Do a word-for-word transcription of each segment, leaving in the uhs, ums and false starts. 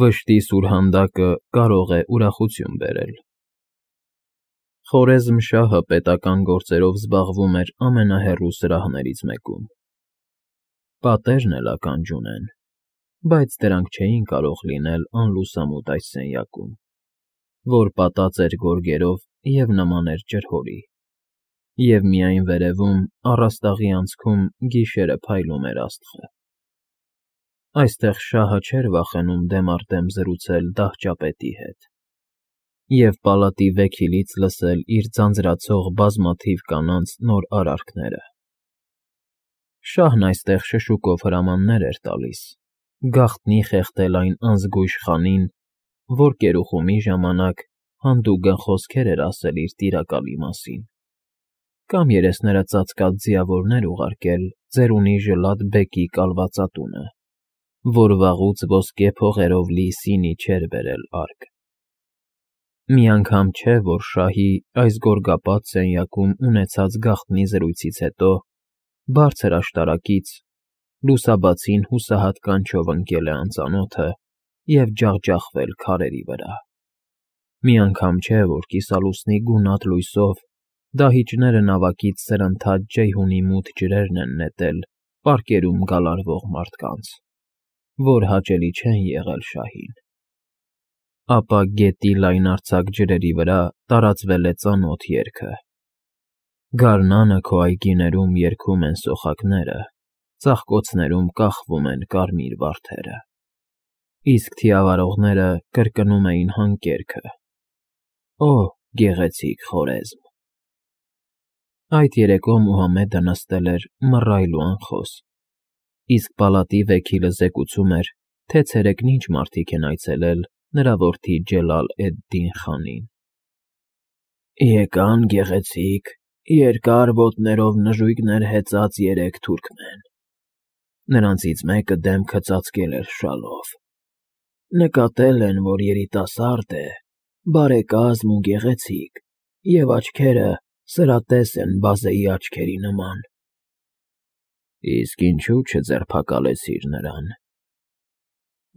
Վշտի սուրհանդակը կարող է ուրախություն բերել։ Խորեզմ շահը պետական գործերով զբաղվում էր ամենահեռու սրահներից մեկում։ Պատերն էլ ականջ ունեն, բայց դրանք չէին կարող լինել անլուսամուտ այս սենյակում, որ պատած էր գորգերով և նման էր ջրհորի, և միայն վերևում, առաստաղի անցքում գիշերը փայլում էր աստղը։ Այստեղ շահը չէր վախենում դեմ առ դեմ զրուցել դահճապետի հետ և պալատի վեքիլից լսել իր ձանձրացող բազմաթիվ կանանց նոր արարքները։ Շահն այստեղ շշուկով հրամաններ էր տալիս, գաղտնի խեղդել այն անզգույշ խանին, որ կերուխումի ժամանակ հանդուգն խոսքեր էր ասել իր տիրակալի մասին, կամ երեսները ծածկած ձիավորներ ուղարկել ծերունի Ժլատ֊բեկի կալվածատունը, որ վաղուց ոսկե փողերով լի սինի չէր բերել արկ։ Մի անգամ չէ, որ շահի այս գորգապատ սենյակում ունեցած գաղտնի զրույցից հետո բարձր աշտարակից լուսաբացին հուսահատ կանչով ընկել է անծանոթը և ջախջախվել քարերի վրա։ Մի անգամ չէ, որ կիսալուսնի գունատ լույսով դահիճները նավակից սրընթաց ջեյհունի մութ ջրերն են նետել պարկերում գալարվող մարդկանց, որ հաճելի չեն եղել շահին։ Ապա գետի լայնարձակ ջրերի վրա տարածվել է ծանոթ երգը. գարնանը քո այգիներում երգում են սոխակները, ծաղկոցներում կախվում են կարմիր վարդերը, իսկ թիավարողները կրկնում էին հանկերքը. «Օ, գեղեցիկ Խորեզմ»։ Այդ երեկո Մուհամեդը նստել էր մռայլ ու անխոս, իսկ պալատի վեքիլը զեկուցում էր, թե ցերեկն ինչ մարդիկ են այցելել նրա որդի Ջելալ֊էդ֊Դին խանին։ «Եկան գեղեցիկ, երկար ոտներով նժույգներ հեծած երեք թուրքմեն, նրանցից մեկը դեմքը ծածկել էր շալով, նկատել են, որ երիտասարդ է, բարեկազմ ու գեղեցիկ, և աչքերը սրատես են բազեի աչքերի նման»։ «Իսկ ինչու չձերբակալեցիր նրան»։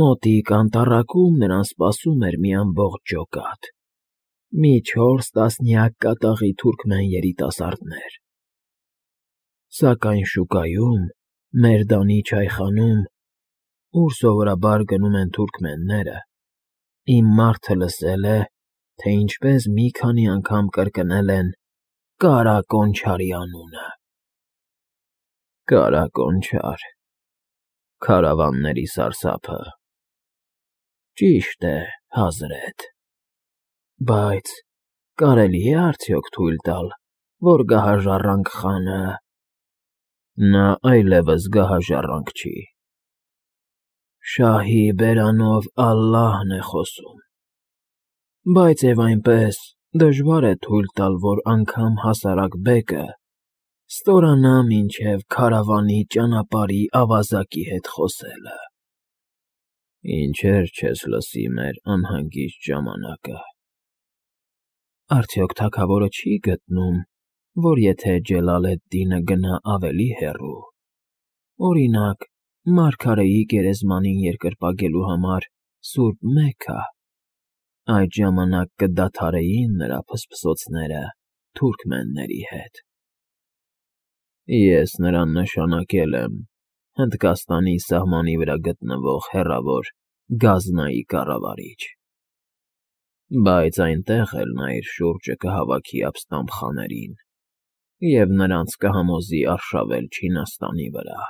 «Մոտիկ անտառակում նրան սպասում էր մի ամբողջ ջոկատ, մի չորս տասնյակ կատաղի թուրքմեն երիտասարդներ, սակայն շուկայում, Մերդանի չայխանում, ուր սովորաբար գնում են թուրքմենները, իմ մարդը լսել է, թե ինչպես մի քանի անգամ կրկնել են Կարա Կոնչարի անունը»։ «Կարա֊Կոնչար, քարավանների սարսափը։ Ճիշտ է, Հազրեթ, բայց կարելի է արդյոք թույլ տալ, որ գահաժառանգ խանը...» «Նա այլևս գահաժառանգ չի»։ «Շահի բերանով ալլահն է խոսում, բայց և այնպես դժվար է թույլ տալ, որ անգամ հասարակ բեկը ստորանա մինչև քարավանի ճանապարհի ավազակի հետ խոսելը»։ «Ինչեր չես լսի մեր անհանգիստ ժամանակը»։ «Արդյոք թագավորը չի գտնում, որ եթե Ջելալ֊էդ֊Դինը գնա ավելի հեռու, օրինակ, մարգարեի գերեզմանին երկրպագելու համար սուրբ Մեքքա, այդ ժամանակ կդադարեին նրա փսփսոցները թուրքմենների հետ»։ «Ես նրան նշանակել եմ Հնդկաստանի սահմանի վրա գտնվող հեռավոր Գազնայի կառավարիչ, բայց այնտեղ էլ նա իր շուրջը կհավաքի ապստամբխաներին և նրանց կհամոզի արշավել Չինաստանի վրա,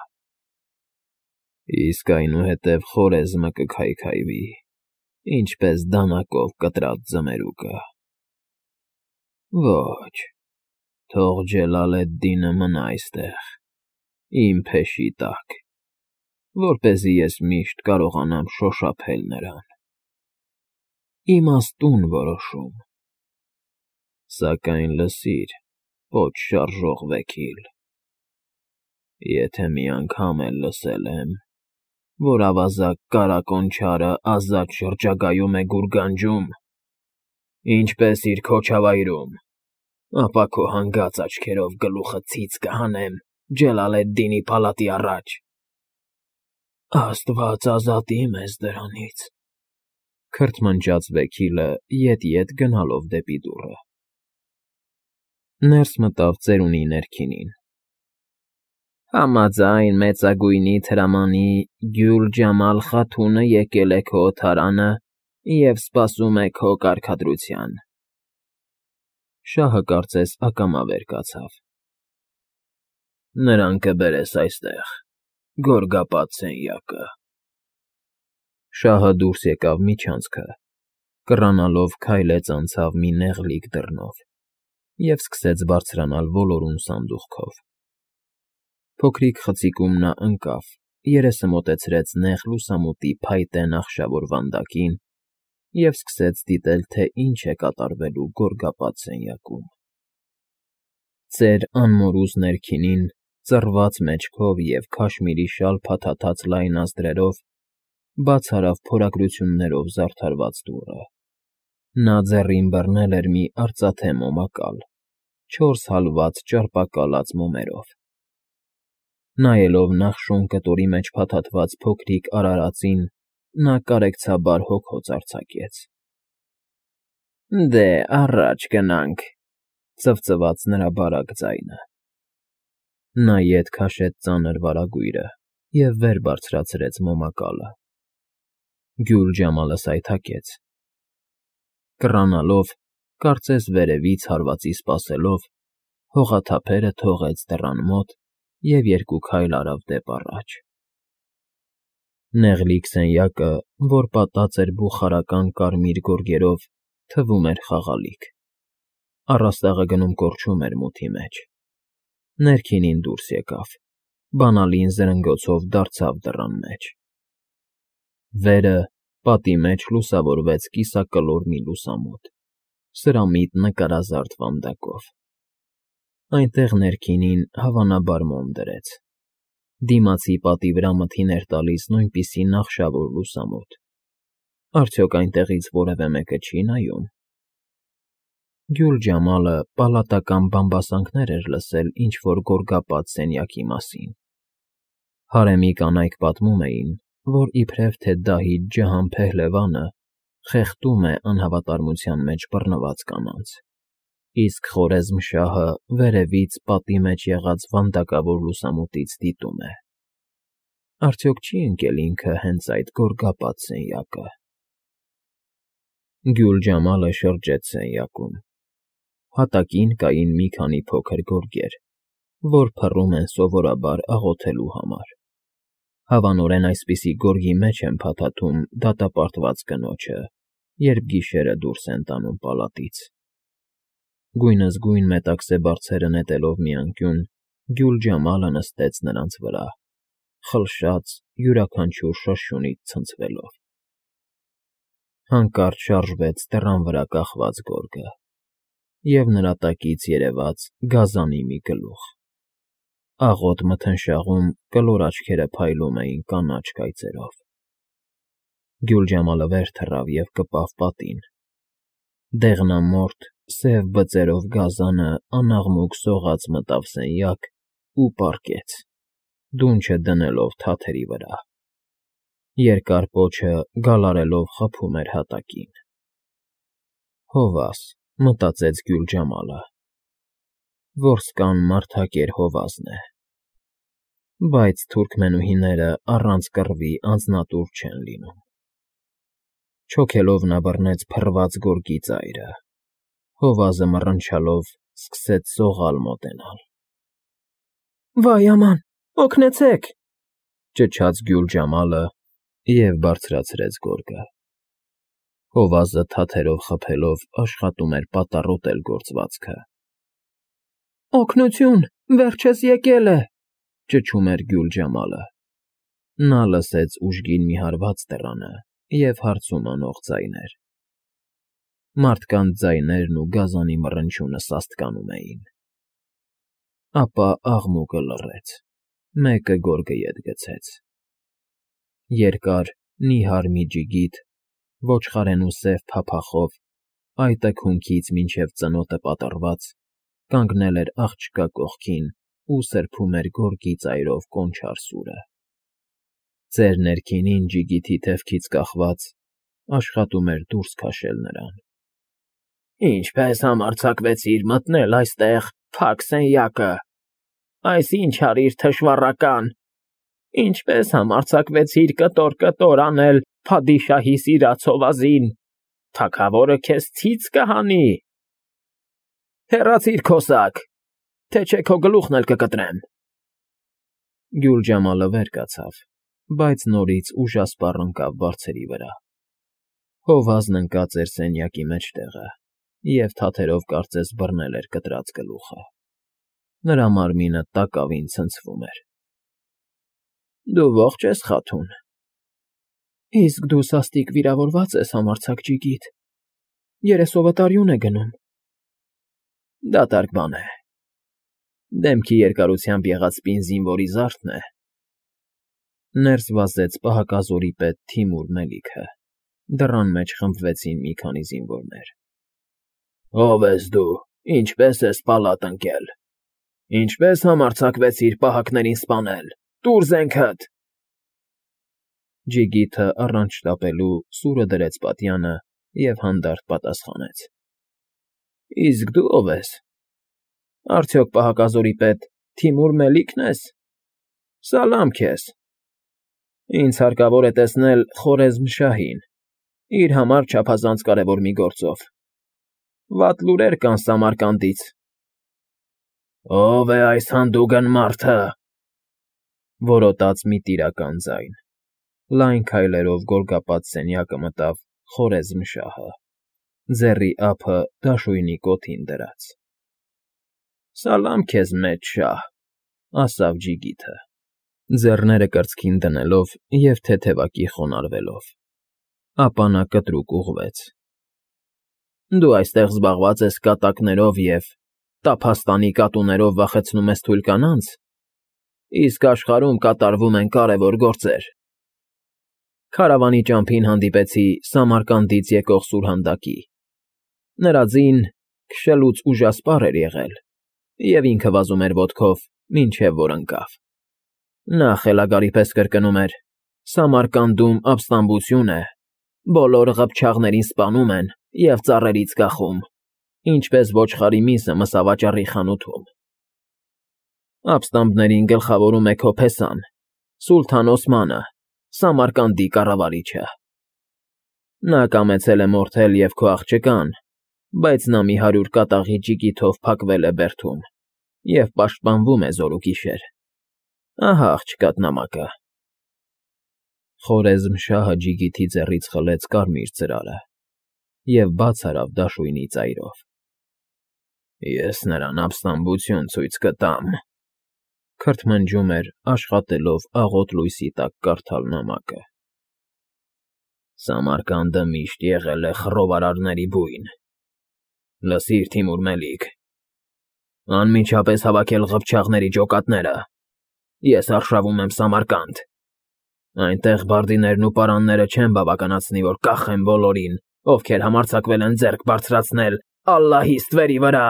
իսկ այնուհետև Խորեզմը կքայքայվի, ինչպես դանակով կտրած ձմերուկը։ Ոչ, թող Ջելալ֊էդ֊Դինը մնա այստեղ, իմ փեշի տակ, որպեսզի ես միշտ կարողանամ շոշափել նրան։ Իմաստուն որոշում։ Սակայն լսիր, պոչ շարժող վեքիլ, եթե մի անգամ էլ լսել եմ, որ ավազակ Կարա Կոնչարը ազատ շրջագայում է գուրգանջում, ինչպես իր քոչավայրում, ապա քո հանգած աչքերով գլուխդ ցից կհանեմ Ջելալ֊էդ֊Դինի պալատի առաջ։ Աստված ազատի մեզ դրանից»։ Քրթմնջաց Վեքիլը ետ-ետ գնալով դեպի դուռը։ Ներս մտավ ծերունի ներքինին։ Համաձայն մեծագույնի թրամանի Գյուլ֊Ջամալ Խաթունը եկել է քո օթարանը և սպասում է քո կարգադրության։ Շահը կարծես ակամա վեր կացավ։ Նրան կբերես այստեղ, Գորգապատ սենյակը։ Շահը դուրս եկավ միջանցքը, կռանալով քայլեց անցավ մի նեղլիկ դռնով և սկսեց բարձրանալ ոլորուն սանդուղքով։ Փոքրիկ խցիկում նա ընկավ, երեսը մոտեցրեց նեղ լուսամուտի փայտե նախշավոր վանդակին և սկսեց դիտել, թե ինչ է կատարվելու Գորգապատ սենյակում։ Ծեր անմորուզ ներքինին, ծռված մեջքով և քաշմիրի շալ փաթաթած լայն նազդրերով, բաց արավ փորագրություններով զարդարված դուռը։ Նա ձեռին բռնել էր մի արծաթե մոմակալ, չորս հալված ճարպակալած մոմերով։ Նայելով նախշոն կտորի մեջ փաթաթված փոքրիկ արարածին, նա կարեկցաբար հոգոց արձակեց։ Դե, առաջ գնանք, ծվծվաց նրա բարակ ձայնը։ Նա ետ քաշեց ծանր վարագույրը և վեր բարձրացրեց մոմակալը։ Գյուլ֊Ջամալը սայթաքեց։ Կռանալով, կարծես վերևից հարվածի սպասելով, հողաթափերը թողեց դռան մոտ և երկու քայլ արավ դեպ առաջ։ Նեղլիկ սենյակը, որ պատած էր բուխարական կարմիր գորգերով, թվում էր խաղալիք։ Առաստաղը գնում կորչում էր մութի մեջ։ Ներքինին դուրս եկավ, բանալին զրնգոցով դարձավ դռան մեջ։ Վերը, պատի մեջ լուսավորվեց կիսակլոր մի լուսամուտ, սրամիտ նկարազարդ վանդակով։ Այնտեղ ներքինին հավանաբար մոմ դրեց։ Դիմացի պատի վրա մթին էր տալիս նույնպիսի նախշավոր լուսամուտ։ Արդյոք այնտեղից որևէ մեկը չի՞ նայում։ Գյուլ֊Ջամալը պալատական բամբասանքներ էր լսել ինչ֊որ Գորգապատ սենյակի մասին։ Հարեմի կանայք պատմում էին, որ իբրև թե Դահիջ Ջհան Փեհլևանը խեղդում է անհավատարմության մեջ բռնված կանանց, իսկ Խորեզմ֊շահը վերևից պատի մեջ եղած վանդակավոր լուսամուտից դիտում է։ Արդյոք չի՞ ընկել ինքը հենց այդ Գորգապատ սենյակը։ Գյուլ֊Ջամալը շրջեց սենյակում։ Հատակին կային մի քանի փոքր գորգեր, որ փռում են սովորաբար աղոթելու համար։ Հավանորեն այսպիսի գորգի մեջ են փաթաթում դատապարտված կնոջը, երբ գիշերը դուրս են տանում պալատից։ Գույնզգույն մետաքսե բարձերը նետելով մի անկյուն, Գյուլ֊Ջամալը նստեց նրանց վրա, խլշաց յուրաքանչյուր շրշյունից ցնցվելով։ Հանկարծ շարժվեց դռան վրա կախված գորգը, և նրա տակից երևաց գազանի մի գլուխ։ Աղոտ մթնշաղում կլոր աչքերը փայլում էին կանաչ կայծերով։ Գյուլ֊Ջամալը վեր թռավ և կպավ պատին։ Դեղնամորթ, սև բծերով գազանը անաղմուկ սողաց մտավ սենյակ ու պառկեց, դունչը դնելով թաթերի վրա։ Երկար պոչը գալարելով խփում էր հատակին։ Հովաս, մտածեց Գյուլ֊Ջամալը։ Որսկան մարդակեր հովազն է։ Բայց թուրքմենուհիները առանց կռվի անձնատուր չեն լինում։ Չոքելով նա բռնեց փռված գորգի ծայրը։ Հովազը մռնչալով սկսեց սողալ մոտենալ։ Վայ աման, օգնեցե՛ք,֊ ճչաց Գյուլ֊Ջամալը և բարձրացրեց գորգը։ Հովազը թաթերով խփելով աշխատում էր պատառոտել գործվածքը։ Օգնություն, վերջս եկել է,֊ ճչում էր Գյուլ֊Ջամալը։ Նա լսեց ուժգին մի հարված դռանը և հարցում անող ձայներ։ Մարդկանց ձայներն ու գազանի մռնչյունը սաստկանում էին։ Ապա աղմուկը լռեց, մեկը գորգը ետ գցեց։ Երկար, նիհար մի ջիգիթ, ոչխարենու սև փափախով, այ տքունքից մինչև ծնոտը պատռված, կանգնել էր աղջկա կողքին ու սրբում էր գորգի ծայրով կոնչար սուրը։ Ծեր ներքինին ջիգիթի թևքից կախված, աշխատում էր դուրս քաշել նրան։ Ինչպես համարձակվեցիր մտնել այստեղ, փակ սենյակը, այս ինչ արիր թշվառական, ինչպես համարձակվեցիր կտոր-կտոր անել փադիշահի սիրած հովազին, թագավորը քեզ ցից կհանի։ Հեռացիր քոսակ, թե չէ քո գլուխն էլ կկտրեմ։ Գյուլջամալը վեր կացավ, բայց նորից ուժասպառ ընկավ բարձերի վրա։ Հովազն ընկած էր սենյակի մեջտեղը և թաթերով կարծես բռնել էր կտրած գլուխը։ Նրա մարմինը տակավին ցնցվում էր։ Դու ողջ ես, Խաթուն։ Իսկ դու սաստիկ վիրավորված ես, համարձակ ջիգիտ, երեսովդ արյուն է գնում։ Դատարկ բան է։ Դեմքի երկարությամբ եղած զինվորի զարդն է։ Ներս վազեց պահակազորի պետ Թիմուր Մելիքը։ Դռան մեջ խմբվեցին մի քանի զինվորներ։ Ո՞վ ես դու, ինչպես ես պալատ ընկել, ինչպես համարձակվեցիր պահակներին սպանել, տուր զենքդ։ Ջիգիթը առանց շտապելու սուրը դրեց պատյանը և հանդարտ պատասխանեց. Իսկ դու ով ես։ Արդյոք պահակազորի պետ Թիմուր Մելիքն ես։ Սալամ քեզ։ Ինձ հարկավոր է տեսնել Խորեզմ֊շահին, իր համար չափազանց կարևոր մի գործով։ Վատ լուրեր կան Սամարկանդից։ Ո՞վ է այս հանդուգն մարդը, որոտաց մի տիրական ձայն։ Լայն քայլերով գորգապատ սենյակը մտավ Խորեզմ֊շահը, ձեռի ափը դաշույնի կոթին դրած։ Սալամ քեզ, մեծ շահ, ասավ ջիգիթը, ձեռները կրծքին դնելով և թեթևակի խոնարհվելով։ Ապա նա կտրուկ ուղղվեց։ Դու այստեղ զբաղված ես կատակներով և տափաստանի կատուներով վախեցնում ես թույլ կանանց, իսկ աշխարհում կատարվում են կարևոր գործեր։ Քարավանի ճամփին հանդիպեցի Սամարկանդից եկող սուրհանդակի։ Նրա ձին քշելուց ուժասպառ էր եղել, և ինքը վազում էր ոտքով, մինչև որ ընկավ։ Նա խելագարի պես կրկնում էր. Սամարկանդում ապստամբություն է, բոլոր ղփչաղներին սպանում են և ծառերից կախում, ինչպես ոչխարի միսը մսավաճառի խանութում։ Ապստամբներին գլխավորում է քո փեսան, Սուլթան Օսմանը, Սամարկանդի կառավարիչը։ Նա կամեցել է մորթել և քո աղջկան, բայց նա մի հարյուր կատաղի ջիգիթով փակվել է բերդում և պաշտպանվում է զօրուգիշեր։ Ահա աղջկադ նամակը։ Խորեզմ֊շահը ջիգիթի ձեռից խլեց կարմիր ծրարը և բաց արավ դաշույնի ծայրով։ Ես նրան ապստամբություն ցույց կտամ, քրթմնջում էր, աշխատելով աղոտ լույսի տակ կարդալ նամակը։ Սամարկանդը միշտ եղել է խռովարարների բույն։ Լսիր, Թիմուր Մելիք, անմիջապես հավաքել ղփչաղների ջոկատները։ Ես արշավում եմ Սամարկանդ։ Այնտեղ բարդիներն ու պարանները չեն բավականացնի, որ կախեն բոլորին, ովքեր համարձակվել են ձեռք բարձրացնել Ալլահի ստվերի վրա։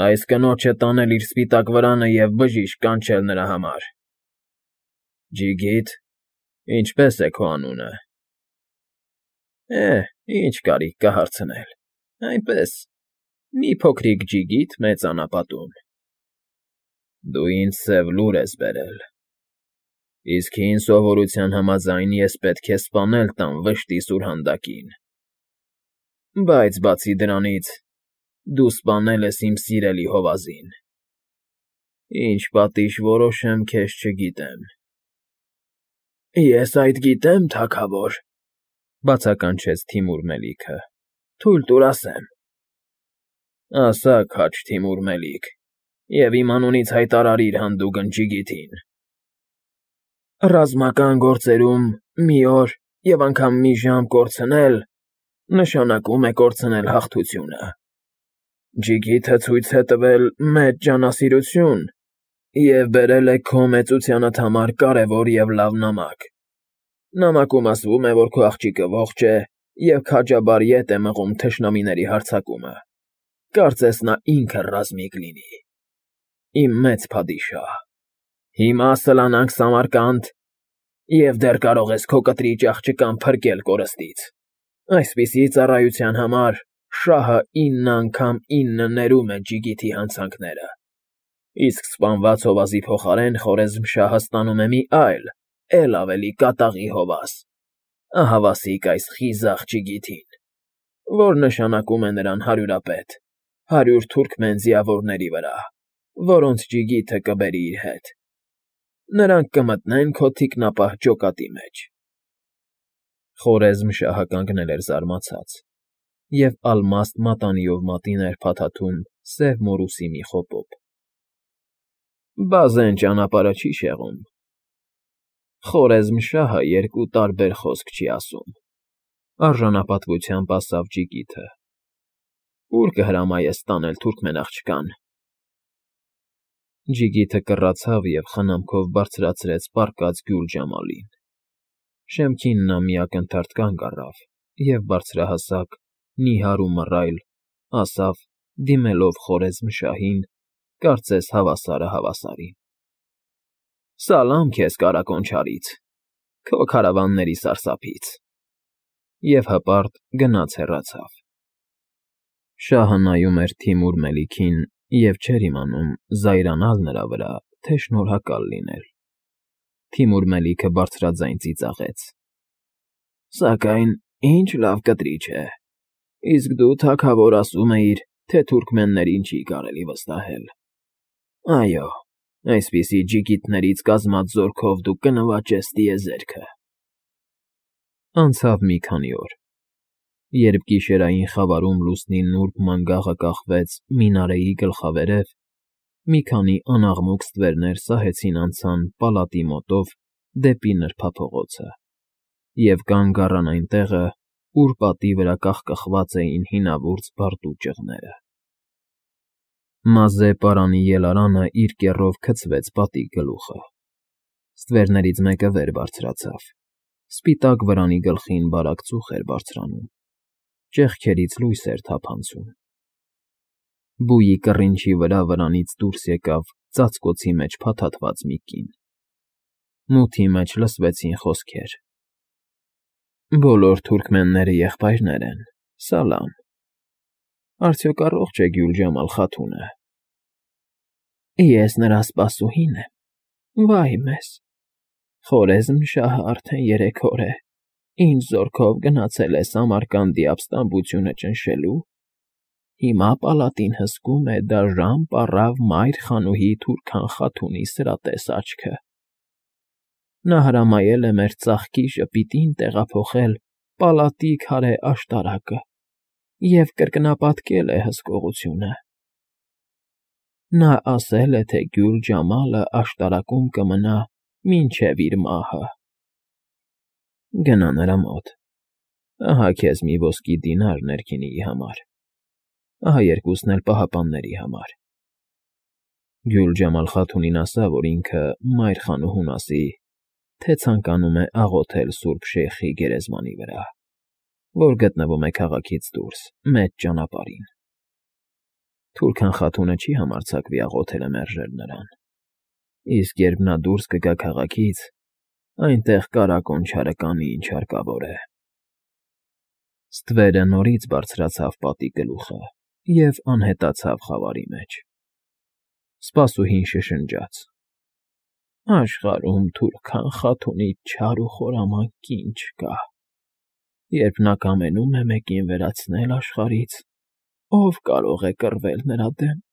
Այս կնոջը տանել իր սպիտակ վրանը և բժիշկ կանչել նրա համար։ Ջիգիտ, ինչպե՞ս է քո անունը։ Է, ինչ կարիք կա հարցնել, այնպես, մի փոքրիկ ջիգիտ մեծ անապատում։ Դու ինձ սև լուր ես բերել, իսկ հին սովորության համաձայն ես պետք է սպանել տամ վշտի սուրհանդակին։ Բայց բացի դրանից, դու սպանել ես իմ սիրելի հովազին։ Ինչ պատիժ որոշեմ, քեզ չգիտեմ։ Ես այդ գիտեմ, թագավոր, բացականչեց Թիմուր Մելիքը, թույլ տուր ասեմ։ Ասա, քաջ Թիմուր Մելիք, և իմ անունից հայտարարիր հանդուգն ջիգիթին։ Ռազմական գործերում մի օր և անգամ մի ժամ կորցնել նշանակում է կորցնել հաղթությունը։ Ջիգիթը ցույց է տվել մեծ ջանասիրություն և բերել է քո մեծությանդ համար կարևոր և լավ նամակ։ Նամակում ասվում է, որ քո աղջիկը ողջ է և քաջաբար ետ է մղում թշնամիների հարձակումը։ Կարծես նա ինքը ռազմիկ լինի։ Իմ մեծ փադիշահ, հիմա սլանանք Սամարկանդ Եվ դեռ կարող ես քո կտրիճ աղջկան փրկել կորստից։ Այսպիսի ծառայության համար շահը ինը անգամ ինը ներում է Ջիգիթի հանցանքները, իսկ սպանված հովազի փոխարեն Խորեզմշահը ստանում է մի այլ, էլ ավելի կատաղի հովազ, ահավասիկ այս խիզախ Ջիգիթին, որ նշանակում է նրան հարյուրապետ, հարյուր թուրքմեն ձիավորների վրա, որոնց Ջիգիթը կբերի իր հետ։ Նրանք կմտնեն քո թիկնապահ ջոկատի մեջ։ Խորեզմշահը կանգնել էր զարմացած, և ալմաստ մատանիով մատին էր փաթաթում սև մորուսի մի խոպոպ։ Բազեն ճանապարհը չի շեղում։ Խորեզմշահը երկու տարբեր խոսք չի ասում, արժանապատվությամբ ասավ Ջիգիթը։ Ո՞ւր կհրամայես տանել թուրքմեն աղջկան։ Ջիգիթը կռացավ և խնամքով բարձրացրեց պառկած Գյուլ Ջամալին։ Շեմքին նա մի ակնթարթ կանգ առավ և բարձրահասակ, նիհար ու մռայլ ասավ, դիմելով Խորեզմշահին, կարծես հավասարը հավասարին. «Սալամ քեզ, Կարագոն չարից, քո քարավանների սարսափից», և հպարտ գնաց հեռացավ։ Շահը նայում էր Թիմուր Մելիքին և չէր իմանում զայրանալ նրա վրա, թե շնորհակալ լինել։ Թիմուր Մելիքը բարձրաձայն ծիծաղեց. «Սակայն ինչ լավ կտրիչ է, իսկ դու թագավոր ասում էիր, թե թուրքմեններին չի կարելի վստահել։ Այո, այսպիսի ջիգիտներից կազմած զորքով դու կնվաճես տիեզերքը»։ Անցավ մի քանի օր, երբ գիշերային խավարում լուսնի նուրբ մանգաղը կախվեց Մինարեի գլխավերև, մի քանի անաղմուկ ստվերներ սահեցին անցան պալատի մոտով դեպի նրբափողոցը և կանգ առան այն տեղը, ուր պատի վրա կախկխված էին հինավուրց բարդու ճղները։ Մազե պարանի ելարանը իր կեռով քցվեց պատի գլուխը։ Ստվերներից մեկը վեր բարձրացավ, սպիտակ վրանի գլխին բարակ ծուխ էր բարձրանում, ճեղքերից լույս էր թափանցում։ Բույի կռինչի վրա վրանից դուրս եկավ ծածկոցի մեջ փաթաթված մի կին։ Մութի մեջ լսվեցին խոսքեր. «Բոլոր թուրքմենները եղբայրներ են, Սալամ։ Արդյոք առողջ է Գյուլ Ջամալ խաթունը»։ «Ես նրա սպասուհին եմ, վա՜յ մեզ, Խորեզմշահը արդեն երեք օր է, ինչ զորքով գնացել է Սամարկանդի ապստամբությունը ճնշելու, հիմա պալատին հսկում է դաժան պառավ Մայր խանուհի Թուրքան խաթունի սրատես աչքը։ Նա հրամայել է մեր ծաղկի ժպիտին տեղափոխել պալատի քարե աշտարակը և կրկնապատկել է հսկողությունը։ Նա ասել է, թե Գյուլ Ջամալը աշտարակում կմնա մինչև իր մահը։ Գնա նրա մոտ, ահա քեզ մի ոսկի դինար ներքինիի համար, ահա երկուսն էլ պահապանների համար։ Գյուլ Ջամալ խաթունին ասա, որ ինքը Մայր խանուհուն ասի, թե ցանկանում է աղոթել Սուրբ Շեյխի գերեզմանի վրա, որ գտնվում է քաղաքից դուրս, մեծ ճանապարհին։ Թուրքան խաթունը չի համարձակվի աղոթելը մերժել նրան, իսկ երբ նա դուրս կգա քաղաքից, այնտեղ Կարագոն չարը կանի, ինչ հարկավոր է»։ Ստվերը նորից բարձրացավ պատի գլուխը և անհետացավ խավարի մեջ։ Սպասուհին շշնջաց. «Աշխարհում Թուրքան խաթունից չար ու խորամանկ կին չկա։ Երբ նա կամենում է մեկին վերացնել աշխարհից, ո՞վ կարող է կռվել նրա դեմ»։